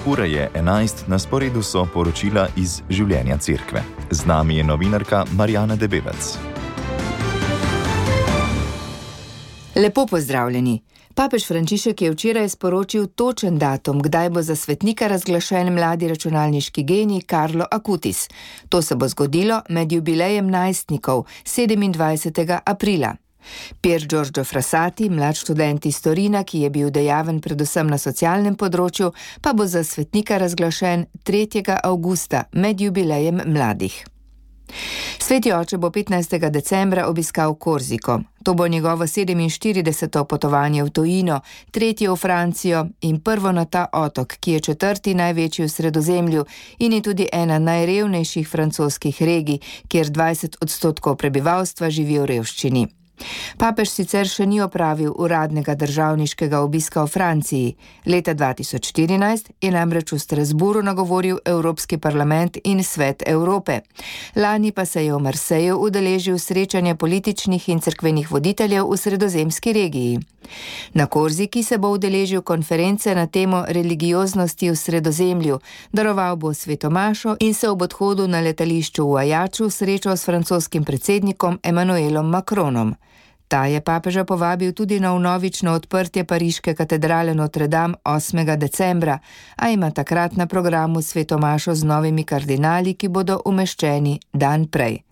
Ura je 11, na sporedu so poročila iz življenja cerkve. Z nami je novinarka Marjana Debevec. Lepo pozdravljeni. Papež Frančišek je včeraj sporočil točen datum, kdaj bo za svetnika razglašen mladi računalniški genij Carlo Acutis. To se bo zgodilo med jubilejem najstnikov 27. aprila. Pier Giorgio Frassati, mlad študent iz Torina, ki je bil dejaven predvsem na socialnem področju, pa bo za svetnika razglašen 3. avgusta med jubilejem mladih. Sveti oče bo 15. decembra obiskal Korziko. To bo njegovo 47. potovanje v tujino, 3. v Francijo in prvo na ta otok, ki je 4. največji v Sredozemlju in je tudi ena najrevnejših francoskih regij, kjer 20% prebivalstva živi v revščini. Papež sicer še ni opravil uradnega državniškega obiska v Franciji. Leta 2014 je namreč v Strasbourgu nagovoril Evropski parlament in Svet Evrope. Lani pa se je v Marseju udeležil srečanja političnih in cerkvenih voditeljev v sredozemski regiji. Na Korziki se bo udeležil konference na temo religioznosti v Sredozemlju, daroval bo svetomašo in se ob odhodu na letališču v Ajaču srečal s francoskim predsednikom Emmanuelom Macronom. Ta je papeža povabil tudi na vnovično odprtje pariške katedrale Notre Dame 8. decembra, a ima takrat na programu svetomašo z novimi kardinali, ki bodo umeščeni dan prej.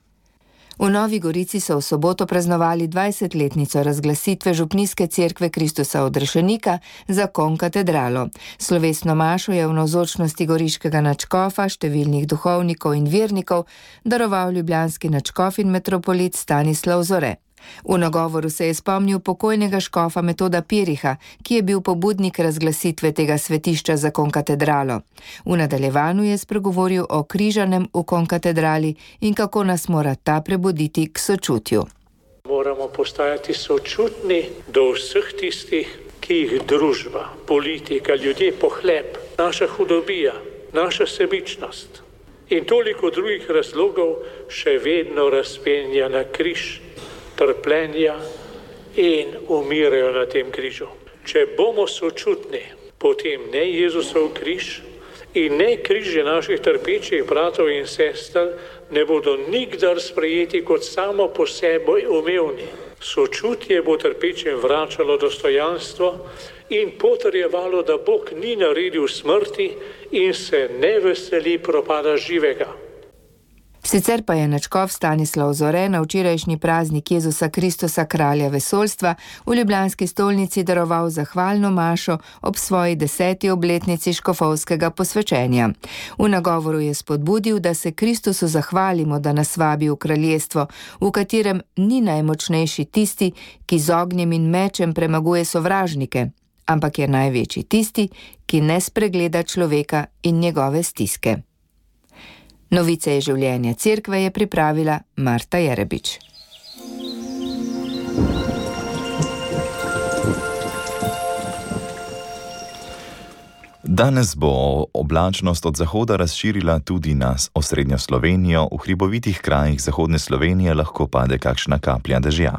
V Novi Gorici so v soboto praznovali 20-letnico razglasitve župnijske cerkve Kristusa odrešenika za konkatedralo. Slovesno mašo je v navzočnosti goriškega nadškofa, številnih duhovnikov in vernikov daroval ljubljanski nadškof in metropolit Stanislav Zore. V nagovoru se je spomnil pokojnega škofa Metoda Piriha, ki je bil pobudnik razglasitve tega svetišča za konkatedralo. V nadaljevanju je spregovoril o križanem v konkatedrali in kako nas mora ta prebuditi k sočutju. Moramo postajati sočutni do vseh tistih, ki jih družba, politika, ljudje pohlep, naša hudobija, naša sebičnost in toliko drugih razlogov še vedno razpenja na križ, trpljenja in umirajo na tem križu. Če bomo sočutni, potem ne Jezusov križ in ne križe naših trpečih bratov in sester ne bodo nikdar sprejeti kot samo po sebi umevni. Sočutje bo trpečim vračalo dostojanstvo in potrjevalo, da Bog ni naredil smrti in se ne veseli propada živega. Sicer pa je nadškof Stanislav Zore na včerajšnji praznik Jezusa Kristusa, kralja vesoljstva, v ljubljanski stolnici daroval zahvalno mašo ob svoji 10. obletnici škofovskega posvečenja. V nagovoru je spodbudil, da se Kristusu zahvalimo, da nas vabi v kraljestvo, v katerem ni najmočnejši tisti, ki z ognjem in mečem premaguje sovražnike, ampak je največji tisti, ki ne spregleda človeka in njegove stiske. Novice iz življenja cerkve je pripravila Marta Jerebič. Danes bo oblačnost od zahoda razširila tudi na osrednjo Slovenijo, v hribovitih krajih zahodne Slovenije lahko pade kakšna kaplja dežja.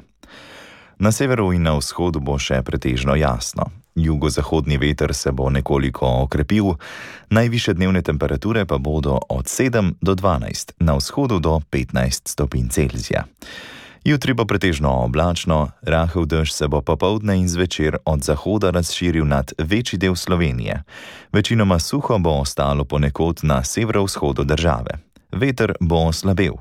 Na severu in na vzhodu bo še pretežno jasno. Jugozahodni veter se bo nekoliko okrepil, najvišje dnevne temperature pa bodo od 7 do 12, na vzhodu do 15 stopinj Celzija. Jutri bo pretežno oblačno, rahel dež se bo popoldne in zvečer od zahoda razširil nad večji del Slovenije. Večinoma suho bo ostalo ponekod na severovzhodu države. Veter bo slabel.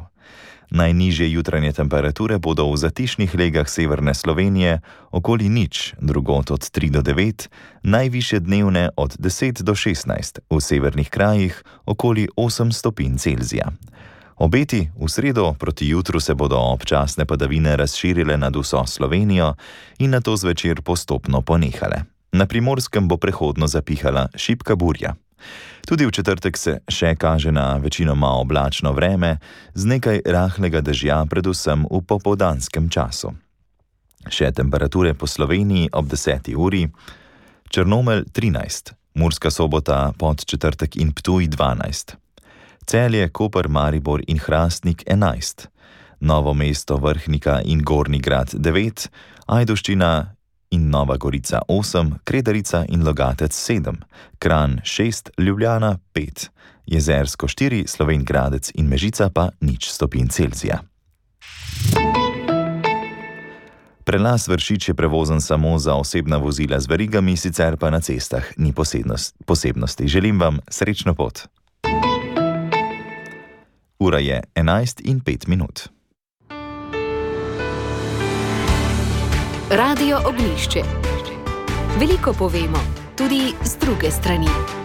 Najnižje jutranje temperature bodo v zatišnih legah severne Slovenije okoli 0, drugod od 3 do 9, najvišje dnevne od 10 do 16, v severnih krajih okoli 8 stopinj Celzija. Obeti v sredo proti jutru se bodo občasne padavine razširile nad vso Slovenijo in nato zvečer postopno ponehale. Na Primorskem bo prehodno zapihala šibka burja. Tudi v četrtek se še kaže na večinoma oblačno vreme, z nekaj rahlega dežja, predvsem v popoldanskem času. Še temperature po Sloveniji ob 10. uri: Črnomelj 13, Murska Sobota, Podčetrtek in Ptuj 12, Celje, Koper, Maribor in Hrastnik 11, Novo mesto, Vrhnika in Gornji Grad 9, Ajdovščina in Nova Gorica 8, Kredarica in Logatec 7, Kranj 6, Ljubljana 5, Jezersko 4, Slovenj Gradec in Mežica pa 0 stopinj Celzija. Prelaz Vršič je prevozen samo za osebna vozila z verigami, sicer pa na cestah ni posebnosti. Želim vam srečno pot. Ura je 11:05. Radio Oglišče. Veliko povemo, tudi z druge strani.